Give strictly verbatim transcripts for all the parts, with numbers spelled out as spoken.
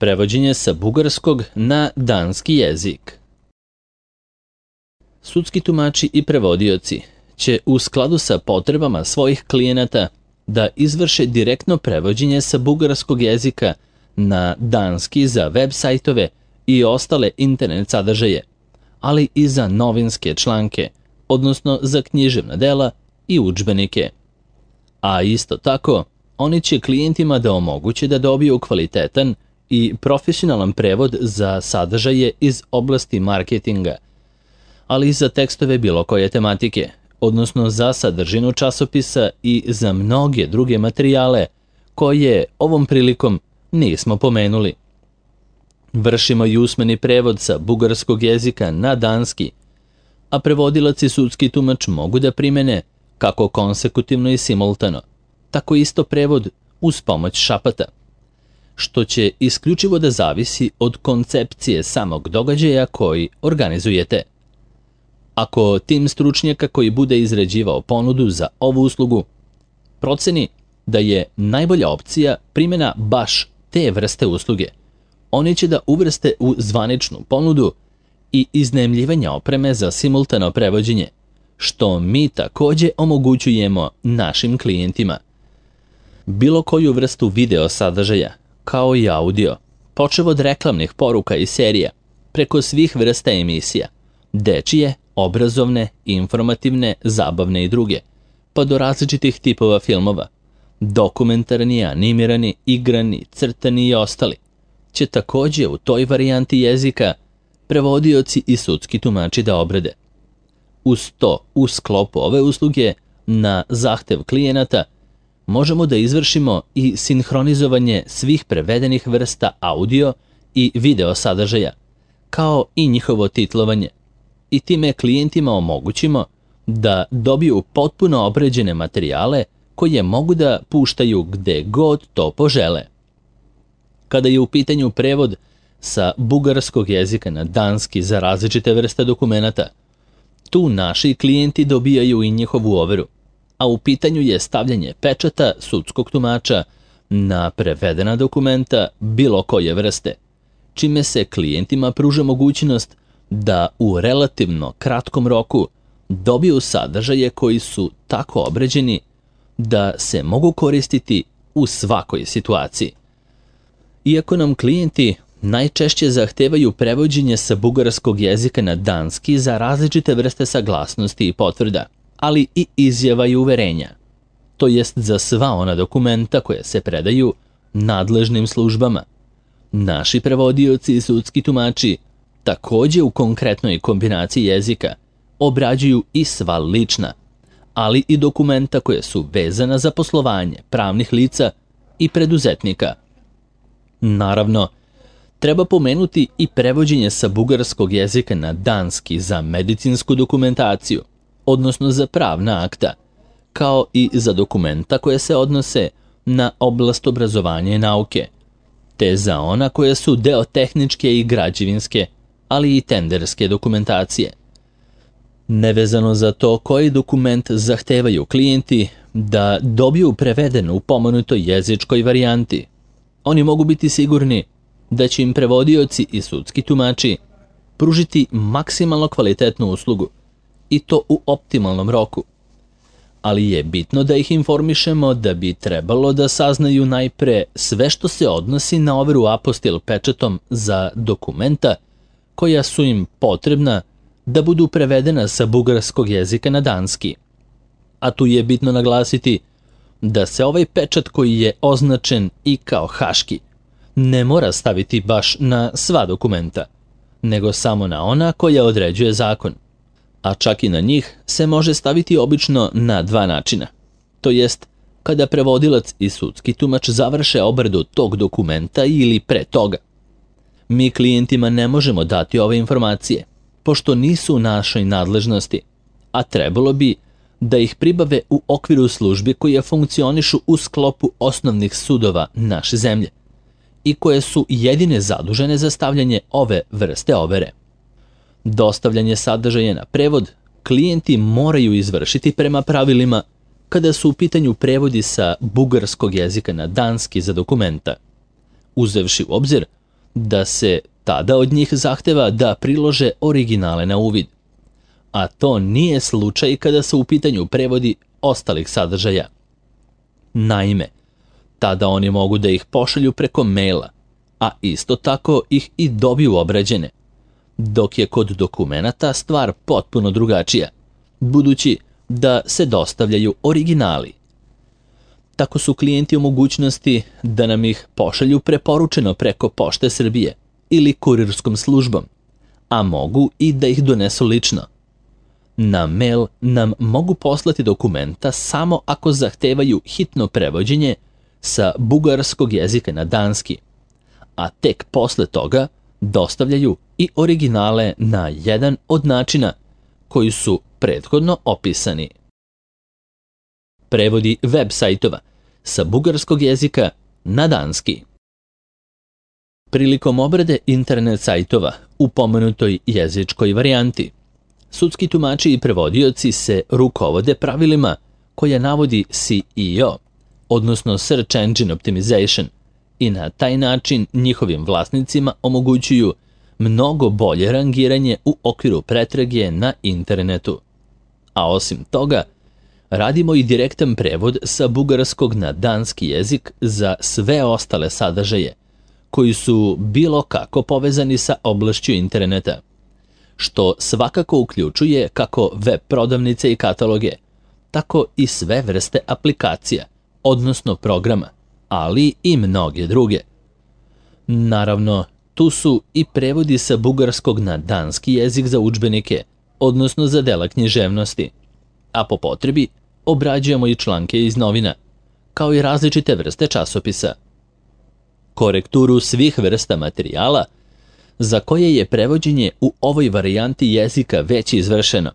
Prevođenje sa bugarskog na danski jezik. Sudski tumači i prevodioci će u skladu sa potrebama svojih klijenata da izvrše direktno prevođenje sa bugarskog jezika na danski za web sajtove i ostale internet sadržaje, ali i za novinske članke, odnosno za književna dela i udžbenike. A isto tako, oni će klijentima da omoguće da dobiju kvalitetan i profesionalan prevod za sadržaje iz oblasti marketinga, ali i za tekstove bilo koje tematike, odnosno za sadržinu časopisa i za mnoge druge materijale koje ovom prilikom nismo pomenuli. Vršimo i usmeni prevod sa bugarskog jezika na danski, a prevodilac i sudski tumač mogu da primene kako konsekutivno i simultano, tako isto prevod uz pomoć šapata, što će isključivo da zavisi od koncepcije samog događaja koji organizujete. Ako tim stručnjaka koji bude izrađivao ponudu za ovu uslugu proceni da je najbolja opcija primjena baš te vrste usluge, oni će da uvrste u zvaničnu ponudu i iznajmljivanje opreme za simultano prevođenje, što mi takođe omogućujemo našim klijentima. Bilo koju vrstu video sadržaja, kao i audio, počev od reklamnih poruka i serija, preko svih vrsta emisija, dečije, obrazovne, informativne, zabavne i druge, pa do različitih tipova filmova, dokumentarni, animirani, igrani, crtani i ostali, će takođe u toj varijanti jezika prevodioci i sudski tumači da obrade. Uz to, u sklopu ove usluge, na zahtev klijenata, možemo da izvršimo i sinhronizovanje svih prevedenih vrsta audio i video sadržaja, kao i njihovo titlovanje, i time klijentima omogućimo da dobiju potpuno obrađene materijale koje mogu da puštaju gde god to požele. Kada je u pitanju prevod sa bugarskog jezika na danski za različite vrste dokumenata, tu naši klijenti dobijaju i njihovu overu, a u pitanju je stavljanje pečata sudskog tumača na prevedena dokumenta bilo koje vrste, čime se klijentima pruža mogućnost da u relativno kratkom roku dobiju sadržaje koji su tako obrađeni da se mogu koristiti u svakoj situaciji. Iako nam klijenti najčešće zahtevaju prevođenje sa bugarskog jezika na danski za različite vrste saglasnosti i potvrda, ali i izjava i uverenja, to jest za sva ona dokumenta koje se predaju nadležnim službama. Naši prevodioci i sudski tumači takođe u konkretnoj kombinaciji jezika obrađuju i sva lična, ali i dokumenta koje su vezana za poslovanje pravnih lica i preduzetnika. Naravno, treba pomenuti i prevođenje sa bugarskog jezika na danski za medicinsku dokumentaciju, odnosno za pravna akta, kao i za dokumenta koje se odnose na oblast obrazovanja i nauke, te za ona koje su deo tehničke i građevinske, ali i tenderske dokumentacije. Nevezano za to koji dokument zahtevaju klijenti da dobiju preveden u pomenutoj jezičkoj varijanti, oni mogu biti sigurni da će im prevodioci i sudski tumači pružiti maksimalno kvalitetnu uslugu i to u optimalnom roku. Ali je bitno da ih informišemo da bi trebalo da saznaju najpre sve što se odnosi na overu apostil pečatom za dokumenta koja su im potrebna da budu prevedena sa bugarskog jezika na danski. A tu je bitno naglasiti da se ovaj pečat koji je označen i kao haški ne mora staviti baš na sva dokumenta, nego samo na ona koja određuje zakon, a čak i na njih se može staviti obično na dva načina, to jest kada prevodilac i sudski tumač završe obradu tog dokumenta ili pre toga. Mi klijentima ne možemo dati ove informacije, pošto nisu u našoj nadležnosti, a trebalo bi da ih pribave u okviru službi koje funkcionišu u sklopu osnovnih sudova naše zemlje i koje su jedine zadužene za stavljanje ove vrste overe. Dostavljanje sadržaja na prevod klijenti moraju izvršiti prema pravilima kada su u pitanju prevodi sa bugarskog jezika na danski za dokumenta, uzevši u obzir da se tada od njih zahteva da prilože originale na uvid. A to nije slučaj kada su u pitanju prevodi ostalih sadržaja. Naime, tada oni mogu da ih pošalju preko maila, a isto tako ih i dobiju obrađene, dok je kod dokumenata stvar potpuno drugačija, budući da se dostavljaju originali. Tako su klijenti u mogućnosti da nam ih pošalju preporučeno preko Pošte Srbije ili kurirskom službom, a mogu i da ih donesu lično. Na mail nam mogu poslati dokumenta samo ako zahtevaju hitno prevođenje sa bugarskog jezika na danski, a tek posle toga dostavljaju i originale na jedan od načina koji su prethodno opisani. Prevodi web sajtova sa bugarskog jezika na danski. Prilikom obrade internet sajtova u pomenutoj jezičkoj varijanti, sudski tumači i prevodioci se rukovode pravilima koja navodi S E O, odnosno Search Engine Optimization, i na taj način njihovim vlasnicima omogućuju mnogo bolje rangiranje u okviru pretrage na internetu. A osim toga, radimo i direktan prevod sa bugarskog na danski jezik za sve ostale sadržaje koji su bilo kako povezani sa oblašću interneta, što svakako uključuje kako web prodavnice i kataloge, tako i sve vrste aplikacija, odnosno programa, ali i mnoge druge. Naravno, tu su i prevodi sa bugarskog na danski jezik za udžbenike, odnosno za dela književnosti, a po potrebi obrađujemo i članke iz novina, kao i različite vrste časopisa. Korekturu svih vrsta materijala za koje je prevođenje u ovoj varijanti jezika već izvršeno,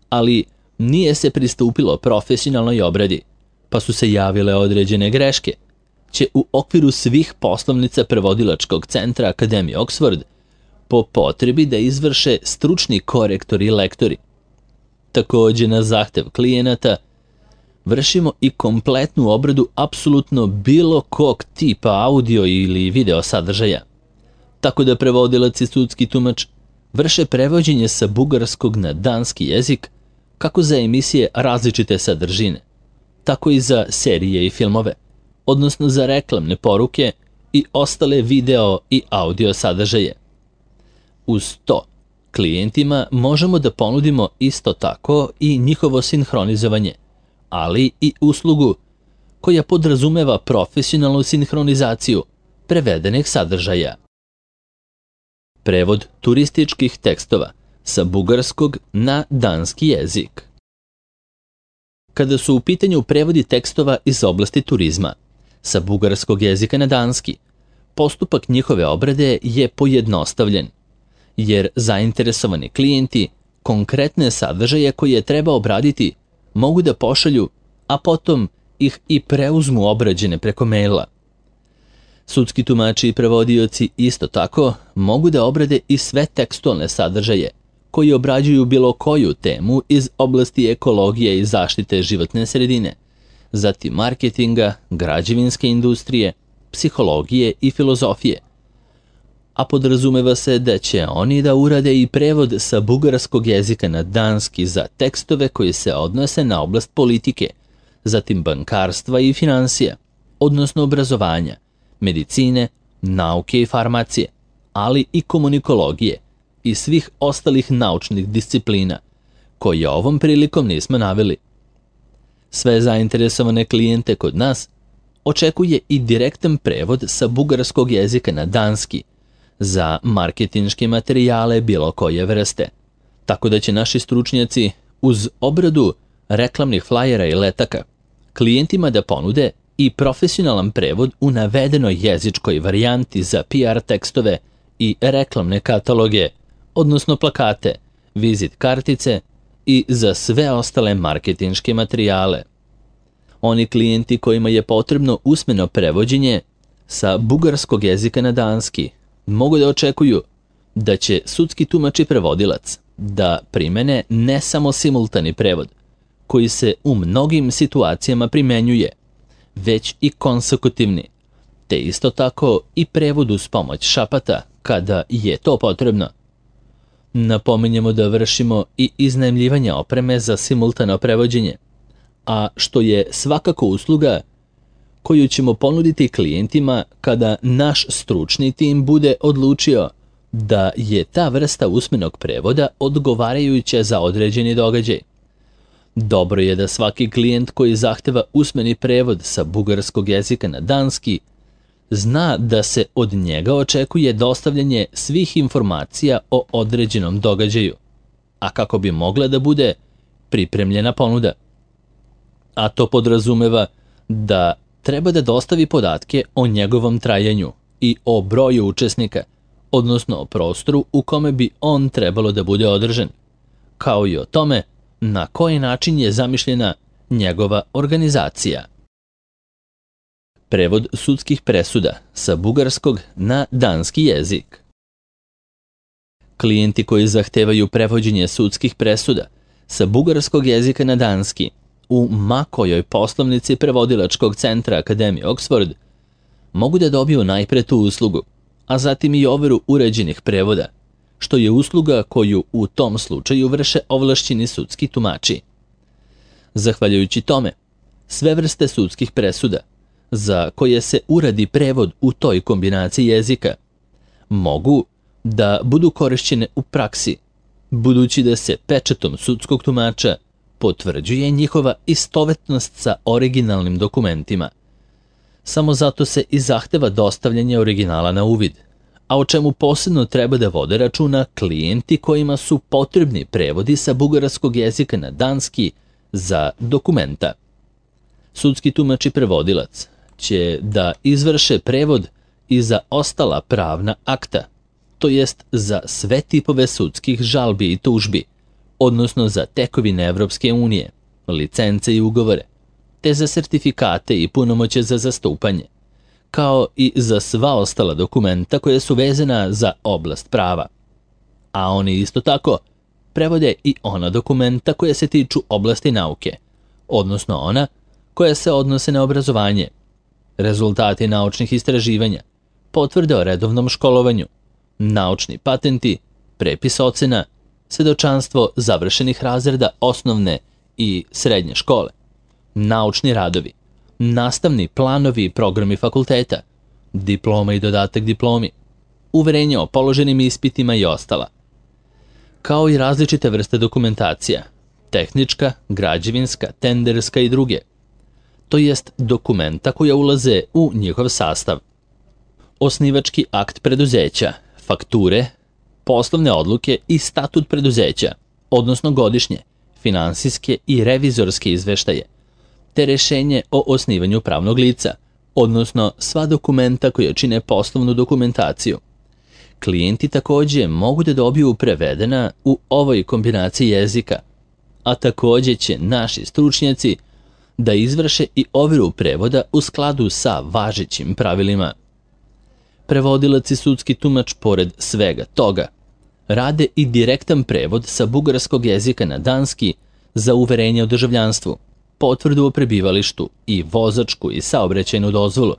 ali nije se pristupilo profesionalnoj obradi, pa su se javile određene greške, će u okviru svih poslovnica prevodilačkog centra Akademije Oxford po potrebi da izvrše stručni korektori i lektori. Takođe, na zahtev klijenata vršimo i kompletnu obradu apsolutno bilo kog tipa audio ili video sadržaja, tako da prevodilac i sudski tumač vrše prevođenje sa bugarskog na danski jezik kako za emisije različite sadržine, tako i za serije i filmove, odnosno za reklamne poruke i ostale video i audio sadržaje. Uz to, klijentima možemo da ponudimo isto tako i njihovo sinhronizovanje, ali i uslugu koja podrazumeva profesionalnu sinhronizaciju prevedenih sadržaja. Prevod turističkih tekstova sa bugarskog na danski jezik. Kada su u pitanju prevodi tekstova iz oblasti turizma sa bugarskog jezika na danski, postupak njihove obrade je pojednostavljen, jer zainteresovani klijenti konkretne sadržaje koje treba obraditi mogu da pošalju, a potom ih i preuzmu obrađene preko maila. Sudski tumači i prevodioci isto tako mogu da obrade i sve tekstualne sadržaje koji obrađuju bilo koju temu iz oblasti ekologije i zaštite životne sredine, zatim marketinga, građevinske industrije, psihologije i filozofije. A podrazumeva se da će oni da urade i prevod sa bugarskog jezika na danski za tekstove koji se odnose na oblast politike, zatim bankarstva i finansija, odnosno obrazovanja, medicine, nauke i farmacije, ali i komunikologije i svih ostalih naučnih disciplina, koje ovom prilikom nismo naveli. Sve zainteresovane klijente kod nas očekuje i direktan prevod sa bugarskog jezika na danski za marketinške materijale bilo koje vrste, tako da će naši stručnjaci uz obradu reklamnih flajera i letaka klijentima da ponude i profesionalan prevod u navedenoj jezičkoj varijanti za P R tekstove i reklamne kataloge, odnosno plakate, vizit kartice i za sve ostale marketinške materijale. Oni klijenti kojima je potrebno usmeno prevođenje sa bugarskog jezika na danski mogu da očekuju da će sudski tumač i prevodilac da primene ne samo simultani prevod, koji se u mnogim situacijama primenjuje, već i konsekutivni, te isto tako i prevod uz pomoć šapata kada je to potrebno. Napominjemo da vršimo i iznajmljivanje opreme za simultano prevođenje, a što je svakako usluga koju ćemo ponuditi klijentima kada naš stručni tim bude odlučio da je ta vrsta usmenog prevoda odgovarajuća za određeni događaj. Dobro je da svaki klijent koji zahteva usmeni prevod sa bugarskog jezika na danski zna da se od njega očekuje dostavljanje svih informacija o određenom događaju, a kako bi mogla da bude pripremljena ponuda. A to podrazumeva da treba da dostavi podatke o njegovom trajanju i o broju učesnika, odnosno o prostoru u kome bi on trebalo da bude održan, kao i o tome na koji način je zamišljena njegova organizacija. Prevod sudskih presuda sa bugarskog na danski jezik. Klijenti koji zahtevaju prevođenje sudskih presuda sa bugarskog jezika na danski u ma kojoj poslovnici prevodilačkog centra Akademije Oxford mogu da dobiju najpre tu uslugu, a zatim i overu uređenih prevoda, što je usluga koju u tom slučaju vrše ovlašćeni sudski tumači. Zahvaljujući tome, sve vrste sudskih presuda za koje se uradi prevod u toj kombinaciji jezika mogu da budu korišćene u praksi, budući da se pečatom sudskog tumača potvrđuje njihova istovetnost sa originalnim dokumentima. Samo zato se i zahteva dostavljanje originala na uvid, a o čemu posebno treba da vode računa klijenti kojima su potrebni prevodi sa bugarskog jezika na danski za dokumenta. Sudski tumač i prevodilac će da izvrše prevod i za ostala pravna akta, to jest za sve tipove sudskih žalbi i tužbi, odnosno za tekovine Evropske unije, licence i ugovore, te za sertifikate i punomoće za zastupanje, kao i za sva ostala dokumenta koja su vezana za oblast prava. A oni isto tako prevode i ona dokumenta koja se tiču oblasti nauke, odnosno ona koja se odnose na obrazovanje, rezultati naučnih istraživanja, potvrde o redovnom školovanju, naučni patenti, prepis ocena, svedočanstvo završenih razreda osnovne i srednje škole, naučni radovi, nastavni planovi i programi fakulteta, diploma i dodatak diplomi, uverenje o položenim ispitima i ostala, kao i različite vrste dokumentacija, tehnička, građevinska, tenderska i druge, to jest dokumenta koja ulaze u njihov sastav. Osnivački akt preduzeća, fakture, poslovne odluke i statut preduzeća, odnosno godišnje, finansijske i revizorske izveštaje, te rešenje o osnivanju pravnog lica, odnosno sva dokumenta koja čine poslovnu dokumentaciju. Klijenti takođe mogu da dobiju prevedena u ovoj kombinaciji jezika, a takođe će naši stručnjaci da izvrše i overu prevoda u skladu sa važećim pravilima. Prevodilac i sudski tumač, pored svega toga, rade i direktan prevod sa bugarskog jezika na danski za uverenje o državljanstvu, potvrdu o prebivalištu i vozačku i saobraćajnu dozvolu,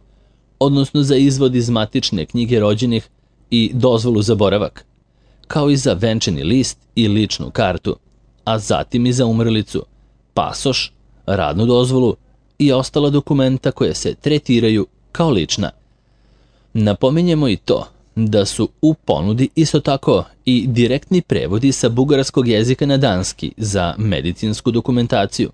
odnosno za izvod iz matične knjige rođenih i dozvolu za boravak, kao i za venčani list i ličnu kartu, a zatim i za umrlicu, pasoš, radnu dozvolu i ostala dokumenta koje se tretiraju kao lična. Napominjemo i to da su u ponudi isto tako i direktni prevodi sa bugarskog jezika na danski za medicinsku dokumentaciju,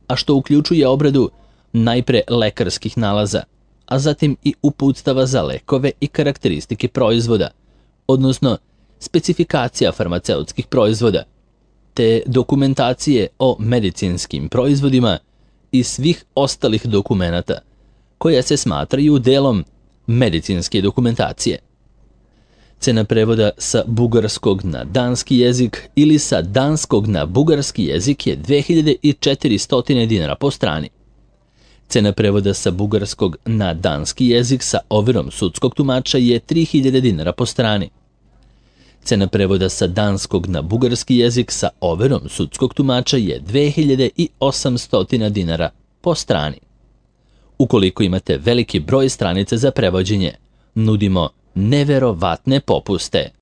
a što uključuje obradu najpre lekarskih nalaza, a zatim i uputstava za lekove i karakteristike proizvoda, odnosno specifikacija farmaceutskih proizvoda, te dokumentacije o medicinskim proizvodima i svih ostalih dokumenata koja se smatraju delom medicinske dokumentacije. Cena prevoda sa bugarskog na danski jezik ili sa danskog na bugarski jezik je dve hiljade četiristo dinara po strani. Cena prevoda sa bugarskog na danski jezik sa overom sudskog tumača je tri hiljade dinara po strani. Cena prevoda sa danskog na bugarski jezik sa overom sudskog tumača je dve hiljade osamsto dinara po strani. Ukoliko imate veliki broj stranica za prevođenje, nudimo neverovatne popuste.